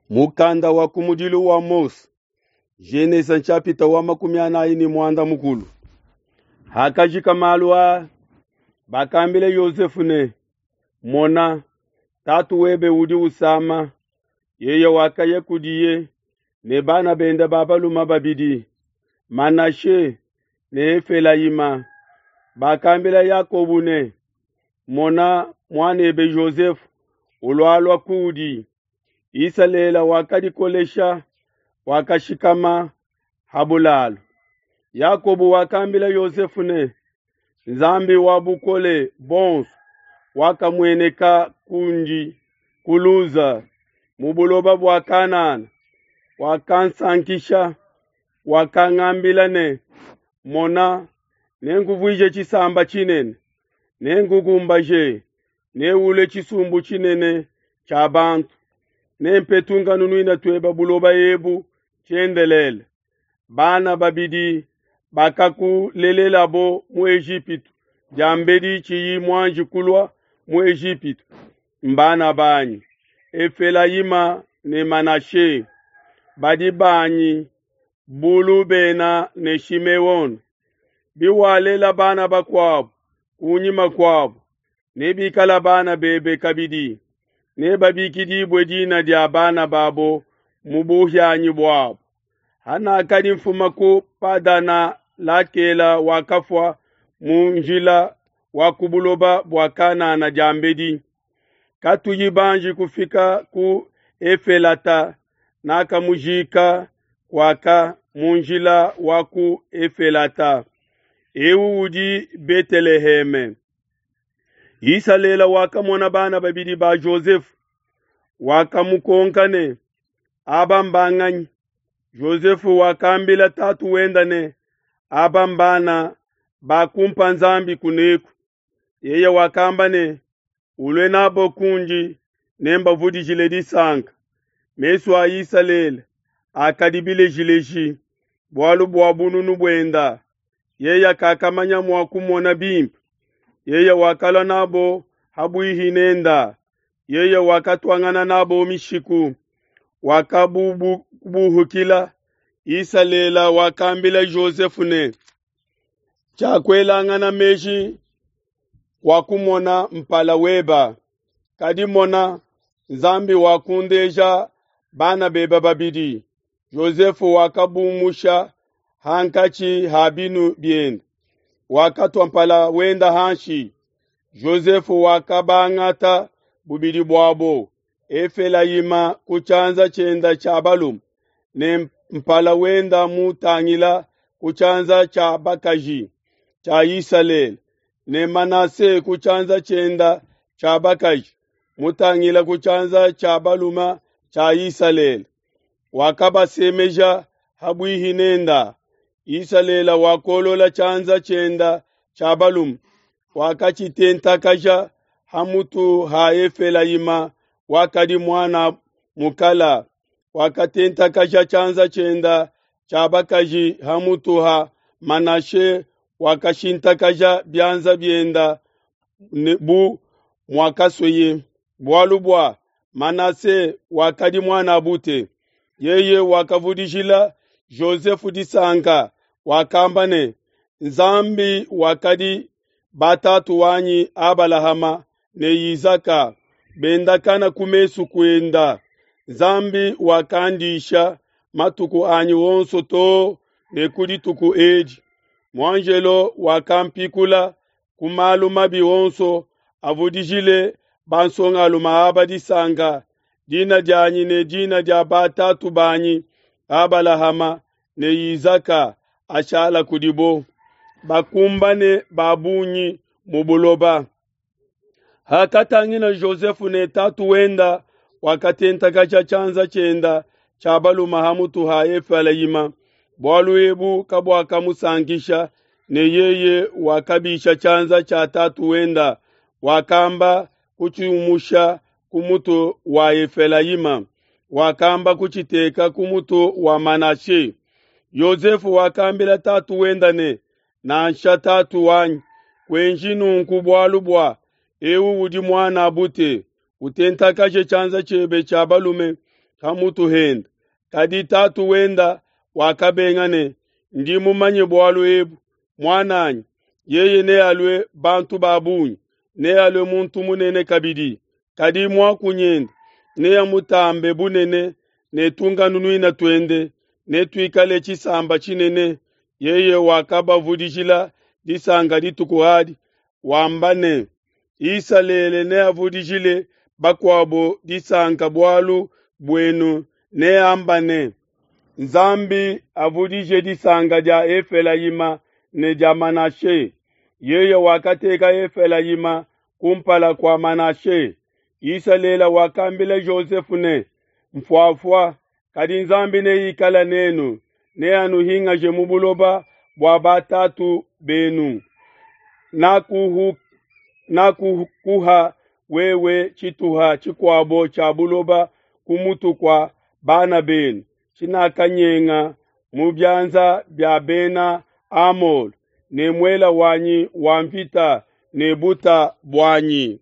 Mukanda wa kumudilu wa Mose, Genese nshapita wa 45. Hakajika malu aa, bakambila Yosefu ne, Mona, tatu webe udi usama. Yeye wakaya kudiye ne bana bende ba balume babidi, Manashe ne Efelayima. Bakambila Yakobo ne, Mona, muanebe Yosefu ulualua kudi. Isalele wakadikolesha, wakashikama ha bulalu. Yakobo wakambila Yosefu ne, Nzambi wa bukole buonso wakamueneka kundi ku Luza mu buloba bua Kanana, wakansankisha, wakangambila ne, Mona, nenkuvuije tshisamba tshinene, nenkukumbaje, neule tshisumbu tshinene tshia bantu, nempe tunkanunuina tuebe buloba ebu tshiendelele. Bana babidi bakakulelelabo mu Ejipitu diambedi tshiyi muanji kulua mu Ejipitu, mbana banyi Efelayima ne Manashe, badi banyi bu Lubena ne Shimeone. Biwalela bana bakuabo kunyima kuabo, nebikala bana bebe kabidi, nebabikidibue dina dia bana babo mu buhianyi buabo. Hanakadi mfuma ku Padana, Lakela wakafua mu njila wa ku buloba bua Kanana diambedi. Katuyi banji kufika ku Efelata, nakamujika kuaka mu njila wa ku Efelata. Eu udi Beteleheme. Isalele wakamona bana babidi ba Jozefu, wakamukonka ne, Aba mbanganyi? Jozefu wakambila tatu wenda ne, Aba mbana bakumpa Nzambi kuneku. Yeye wakamba ne, Ulue nabo kundi, nembavudijile disanka. Mesu a Isalele akadi bilejileji bualu bua bununu buenda, yeye kakamanya mua kumona bimpe. Yeye wakalua nabo habuihi nenda, yeye wakatuangana nabo mishiku, wakabubuhukila. Isalele wakambila Jozefu ne, Tshiakuelangana meji kwa kumona mpala weba, kadi mona, Nzambi wakundeja bana bebe babidi. Jozefu wakabumusha hankatshi ha binu biende, wakatua mpala wenda hanshi. Jozefu wakabangata bubidi buabo, Efelayima ku tshianza tshienda tshia balume ne mpala wenda mutangila ku tshianza tshia bakaji tshia Isalele, ne Manase ku tshianza tshienda tshia bakaji mutangila ku tshianza tshia balume tshia Isalele. Wakabasemeja habuihi nenda. Isalele wakolola tshianza tshienda tshia balume, wakatshitentakaja hamutu ha Efelayima wakadi muana mukala, wakatentakaja tshianza tshienda tshia bakaji hamutu ha Manashe, wakashintakaja bianza bienda bu muakasueye, bualu bua Manase wakadi muana bute. Yeye wakavudijila Jozefu disanka, wakamba ne, Nzambi wakadi batatu wanyi Abalahama ne Izaka bendakana ku mesu kuenda. Nzambi wakandisha matuku anyi onso too ne ku dituku edi. Muanjelo wakampikula ku malu mabi onso, avudijile bansongalume aba disanka. Dina dianyi ne dina dia batatu banyi Abalahama ne Izaka ashala kudibo, bakumbane ba bungi mu buloba. Hakatangila Jozefu ne tatu wenda wakatentakaja tshianza tshienda tshia balume hamutu ha Efelayima, bualu ebu kabuakamusankisha, ne yeye wakabisha tshianza tshia tatu wenda, wakamba kutshiumusha ku mutu wa Efelayima, wakamba kutshiteka ku mutu wa Manashe. Yosefu wakambila tatu wenda ne, Nansha tatu wanyi, kuenji nunku bualu bua eu udi muana bute, utentakaje tshianza tshiebe tshia balume ha mutu hende. Kadi tatu wenda wakabenga ne, Ndi mumanye bualu ebu, muan'anyi, yeye nealue bantu ba bungi, nealue muntu munene kabidi, kadi muakunyende neamutambe bunene ne tunkanunuina tuende netuikale tshisamba tshinene. Yeye wakabavudijila disanka dituku adi, wamba ne, Isalele neavudijile bakuabo disanka bualu buenu, neamba ne, Nzambi avudije disanka dia Efelayima ne dia Manashe. Yeye wakateka Efelayima kumpala kua Manashe. Isalele wakambila Jozefe ne, Mfuafua, kadi Nzambi neikale nenu, neanuhingaje mu buloba bua batatu benu. Nakuhu nakukuha wewe tshituha tshikuabo tshia buloba ku mutu kua bana benu, tshinakanyenga mu bianza bia bena Amole ne muela wanyi wa mvita ne buta buanyi.